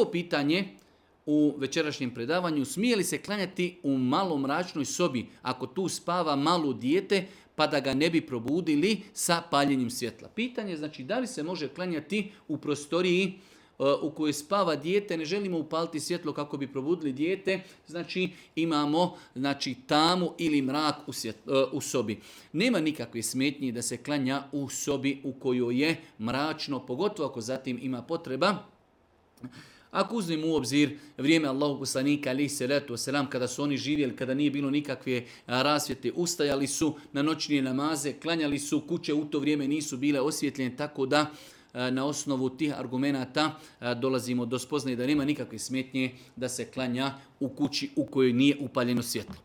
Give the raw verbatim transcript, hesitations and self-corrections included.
pitanje u večerašnjem predavanju, smije li se klanjati u malo mračnoj sobi ako tu spava malo dijete pa da ga ne bi probudili sa paljenjem svjetla. Pitanje je znači da li se može klanjati u prostoriji u kojoj spava dijete, ne želimo upaliti svjetlo kako bi probudili dijete, znači imamo znači, tamu ili mrak u, svjet, u sobi. Nema nikakve smetnje da se klanja u sobi u kojoj je mračno, pogotovo ako zatim ima potreba. Ako uzmemo u obzir vrijeme Allahu poslanika alejhi selatu vesselam kada su oni živjeli, kada nije bilo nikakve rasvjete, ustajali su na noćne namaze, klanjali su, kuće u to vrijeme nisu bile osvjetljene, tako da na osnovu tih argumenata dolazimo do spoznaje da nema nikakve smetnje da se klanja u kući u kojoj nije upaljeno svjetlo.